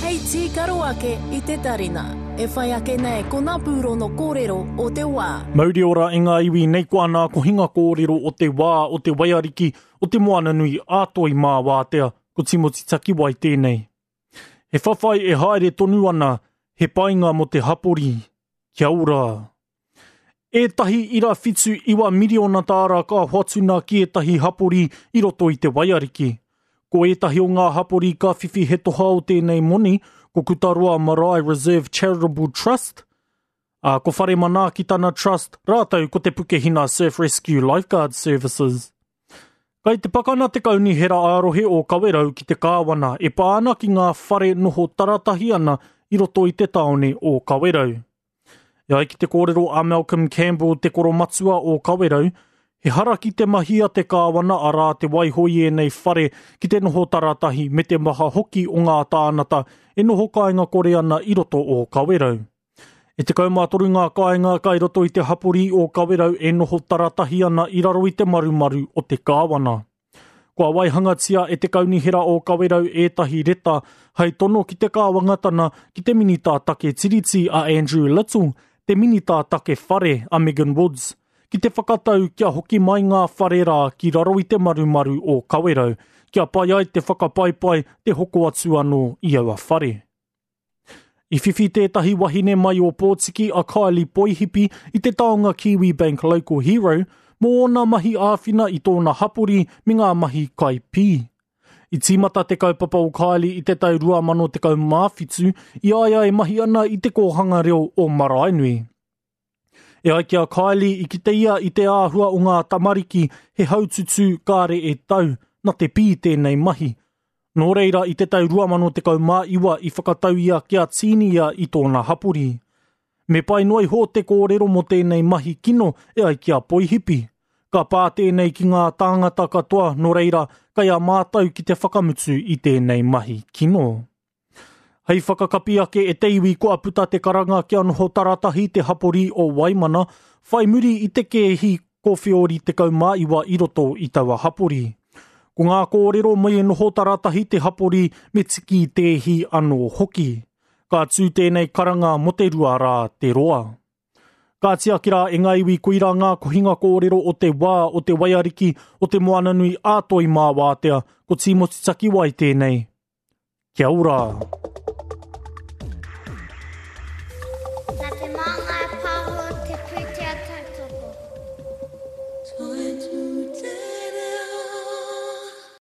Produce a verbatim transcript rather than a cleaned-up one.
Hei tīkaro ake i te tarina. E whai ake nei ko ngā pūrono kōrero o te wā. Mauri ora e ngā iwi nei ko ana kohinga kōrero o te wā o te waiariki o te moana nui a Toi mā wātea, ko Timoti Takiwai tēnei. He whawhai e haere tonu ana, he painga mō te hapori. Kia ora! Ētahi ira whitu iwa miriona tāra ka hoatuna ki ētahi hapori i roto i te waiariki. Ko ētahi o ngā hapori ka whiwhi he toha o tēnei moni, ko Kutaroa Marae Reserve Charitable Trust, a ko Whare Manaakitana Trust, rātou ko te Pukehina Surf Rescue Lifeguard Services. Kai te pakana te kaunihera ā-rohe o Kawerau ki te kāwana e pā ana ki ngā whare noho taratahi ana i roto i te tāone o Kawerau. E ai ki te kōrero a Malcolm Campbell te koromatua o Kawerau, he hara ki te mahi a te kāwana arā te waiho i ēnei whare ki te noho taratahi me te maha hoki o ngā tānata e noho kāinga kore ana i roto o Kawerau. E tekau mā toru ngā kāinga kai roto i te hapori o Kawerau e noho taratahi ana i raro i te marumaru o te kāwana. Kua waihangatia e te kaunihera o Kawerau ētahi reta hei tono ki te kāwangatana ki te minita take tiriti a Andrew Little, te minita take whare a Megan Woods, ki te whakatau kia hoki mai ngā whare rā ki raro i te marumaru o Kawerau, kia pai ai te whakapaipai te hoko atu anō i aua whare. I whiwhi tētahi wahine mai o Pōtiki a Kylie Poihipi i te taonga Kiwi Bank Local Hero mō ōna mahi āwhina i tōna hapori me ngā mahi kai pī. I tīmata te kaupapa o Kylie i te tau rua mano tekau mā whitu i a ia e mahi ana i te kōhanga reo o Maraenui. E ai ki a Kylie i kite ia i te āhua o ngā tamariki he haututū kāre e tau, na te pī tēnei mahi. Nō reira i te tau rua mano tekau mā iwa i whakatau ia kia tīni ia i tōna hapori. Me pai noa iho te kōrero mō tēnei mahi kino e ai ki a Poihipi. Ka pā tēnei ki ngā tāngata katoa, nō reira, kai a mātou ki te whakamutu i tēnei mahi kino. Hei whakakapi ake e te iwi kua puta te karanga kia noho taratahi te hapori o Waimana, whai muri i te kēhi kōwhiori tekau mā iwa i roto i taua hapori. Ko ngā kōrero mai e noho taratahi te hapori me tiki tēhi anō hoki. Ka tū tēnei karanga mō te rua rā te roa. Ka tiaki rā e ngā iwi koirā ngā kohinga kōrero o te wā o te waiariki o te moananui a Toi mā wātea, ko Timoti Takiwai tēnei. Kia ora!